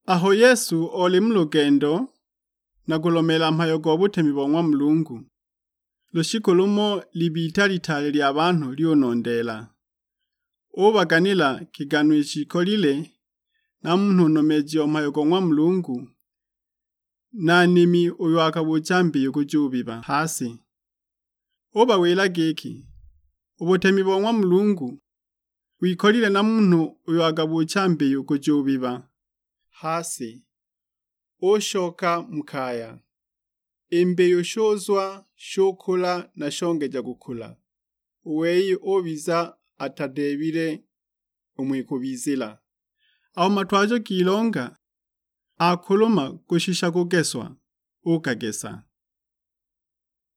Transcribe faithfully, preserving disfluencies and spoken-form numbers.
Aho Yesu oli mu lugendo na kulomeela mhayo go butemi bo ng'wa Mulungu, lushiku lumo libita litaale lya banhu lyunondeela. Ubaganila kigano ishikolile na munhu nomeeji o mhayo go ng'wa Mulungu, na nimi uyo akabuucha mbiyu kujubiba ha si. Ubawila giki, "U butemi bo ng'wa Mulungu wikolile na munhu uyo akabuucha mbiyu kujubiba ha si." Ushoka mu kaya, i mbiyu shuzwa, shukula na shongeja kukula. U wei ubiza atadeebile umo ikubizila. Aho matwajo g'ilonga akuluma kushisha kugeswa, ukagesa.